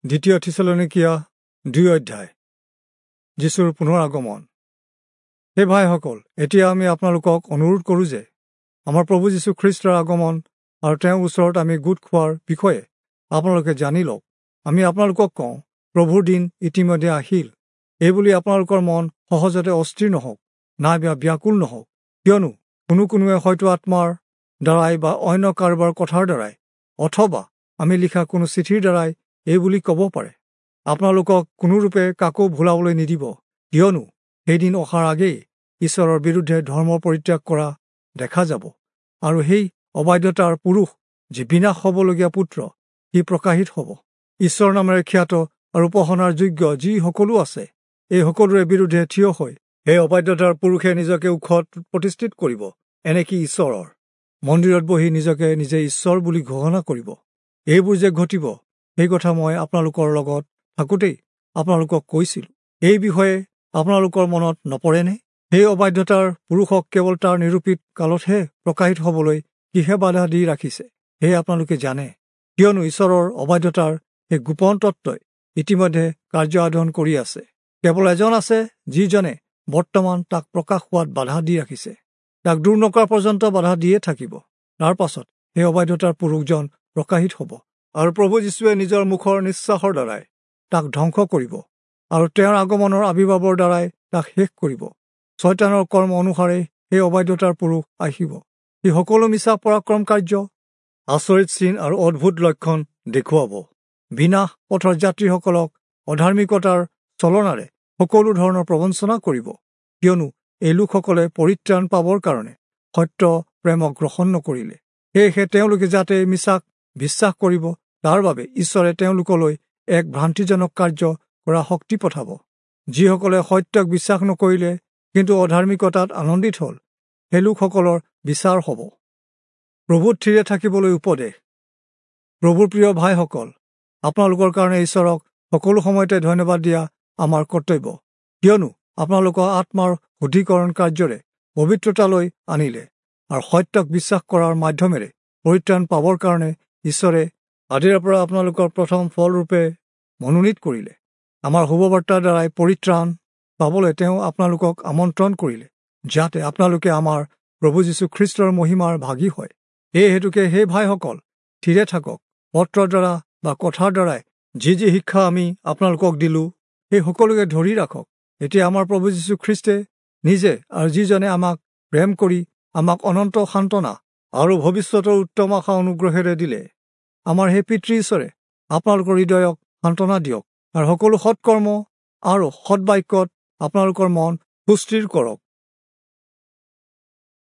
দ্বিতীয় থিচলনীকীয়া 2 অধ্যায়। যীশুৰ পুনৰ আগমন। হে ভাইসকল, এতিয়া আমি আপোনালোকক অনুৰোধ কৰোঁ যে আমাৰ প্ৰভু যীশু খ্ৰীষ্টৰ আগমন আৰু তেওঁৰ ওচৰত আমি গোট খোৱাৰ বিষয়ে আপোনালোকে জানি লওক। আমি আপোনালোকক কওঁ, প্ৰভুৰ দিন ইতিমধ্যে আহিল। এইবুলি আপোনালোকৰ মন সহজতে অস্থিৰ নহওক, নাইবা ব্যাকুল নহওক, কিয়নো কোনো কোনোৱে হয়তো আত্মাৰ দ্বাৰাই বা অন্য কাৰোবাৰ কথাৰ দ্বাৰাই অথবা আমি লিখা কোনো চিঠিৰ দ্বাৰাই এইবুলি ক'ব পাৰে। আপোনালোকক কোনোৰূপে কাকো ভুলাবলৈ নিদিব, কিয়নো সেইদিন অহাৰ আগেয়ে ঈশ্বৰৰ বিৰুদ্ধে ধৰ্ম পৰিত্যাগ কৰা দেখা যাব, আৰু সেই অবাধ্যতাৰ পুৰুষ যি বিনাশ হ'বলগীয়া পুত্ৰ, সি প্ৰকাশিত হ'ব। ঈশ্বৰ নামেৰে খ্যাত আৰু উপাসনাৰ যোগ্য যি সকলো আছে, এই সকলোৰে বিৰুদ্ধে থিয় হৈ সেই অবাধ্যতাৰ পুৰুষে নিজকে ওখত প্ৰতিষ্ঠিত কৰিব, এনেকি ঈশ্বৰৰ মন্দিৰত বহি নিজকে নিজে ঈশ্বৰ বুলি ঘোষণা কৰিব। এইবোৰ যে ঘটিব, সেই কথা মই আপোনালোকৰ লগত থাকোঁতেই আপোনালোকক কৈছিলোঁ। এই বিষয়ে আপোনালোকৰ মনত নপৰেনে? সেই অবাধ্যতাৰ পুৰুষক কেৱল তাৰ নিৰূপিত কালতহে প্ৰকাশিত হ'বলৈ কিহে বাধা দি ৰাখিছে, সেয়ে আপোনালোকে জানে। কিয়নো ঈশ্বৰৰ অবাধ্যতাৰ সেই গোপন তত্ত্বই ইতিমধ্যে কাৰ্য সাধন কৰি আছে। কেৱল এজন আছে যিজনে বৰ্তমান তাক প্ৰকাশ হোৱাত বাধা দি ৰাখিছে, তাক দূৰ নকৰা পৰ্যন্ত বাধা দিয়ে থাকিব। তাৰ পাছত সেই অবাধ্যতাৰ পুৰুষজন প্ৰকাশিত হ'ব, আৰু প্ৰভু যীশুৱে নিজৰ মুখৰ নিশ্বাসৰ দ্বাৰাই তাক ধ্বংস কৰিব, আৰু তেওঁৰ আগমনৰ আৱিৰ্ভাৱৰ দ্বাৰাই তাক শেষ কৰিব। ছয়তানৰ কৰ্ম অনুসাৰে সেই অবাধ্যতাৰ পুৰুষ আহিব। সি সকলো মিছা পৰাক্ৰম কাৰ্য, আচৰিত চিন আৰু অদ্ভুত লক্ষণ দেখুৱাব। বিনাশ পথৰ যাত্ৰীসকলক অধাৰ্মিকতাৰ চলনাৰে সকলো ধৰণৰ প্ৰবঞ্চনা কৰিব, কিয়নো এই লোকসকলে পৰিত্ৰাণ পাবৰ কাৰণে সত্য প্ৰেমক গ্ৰহণ নকৰিলে। সেয়েহে তেওঁলোকে যাতে মিছাক বিশ্বাস কৰিব, তাৰ বাবে ঈশ্বৰে তেওঁলোকলৈ এক ভ্ৰান্তিজনক কাৰ্য কৰা শক্তি পঠাব। যিসকলে সত্যক বিশ্বাস নকৰিলে কিন্তু অধাৰ্মিকতাত আনন্দিত হ'ল, সেই লোকসকলৰ বিচাৰ হ'ব। প্ৰভুত থিৰে থাকিবলৈ উপদেশ। প্ৰভুৰ প্ৰিয় ভাইসকল, আপোনালোকৰ কাৰণে ঈশ্বৰক সকলো সময়তে ধন্যবাদ দিয়া আমাৰ কৰ্তব্য, কিয়নো আপোনালোকৰ আত্মাৰ শুদ্ধিকৰণ কাৰ্যৰে পবিত্ৰতালৈ আনিলে, আৰু সত্যক বিশ্বাস কৰাৰ মাধ্যমেৰে পৰিত্ৰাণ পাবৰ কাৰণে ঈশ্বৰে আদিৰে পৰা আপোনালোকৰ প্ৰথম ফলৰূপে মনোনীত কৰিলে। আমাৰ শুভবাৰ্তাৰ দ্বাৰাই পৰিত্ৰাণ পাবলৈ তেওঁ আপোনালোকক আমন্ত্ৰণ কৰিলে, যাতে আপোনালোকে আমাৰ প্ৰভু যীশু খ্ৰীষ্টৰ মহিমাৰ ভাগী হয়। এই হেতুকে সেই ভাইসকল, থিৰে থাকক। পত্ৰৰ দ্বাৰা বা কথাৰ দ্বাৰাই যি যি শিক্ষা আমি আপোনালোকক দিলোঁ, সেই সকলোকে ধৰি ৰাখক। এতিয়া আমাৰ প্ৰভু যীশু খ্ৰীষ্টে নিজে আৰু যিজনে আমাক প্ৰেম কৰি আমাক অনন্ত সান্তনা আৰু ভৱিষ্যতৰ উত্তম আশা অনুগ্ৰহেৰে দিলে, আমাৰ সেই পিতৃ ঈশ্বৰে আপোনালোকৰ হৃদয়ক সান্তনা দিয়ক, আৰু সকলো সৎকৰ্ম আৰু সৎবাক্যত আপোনালোকৰ মন সুস্থিৰ কৰক।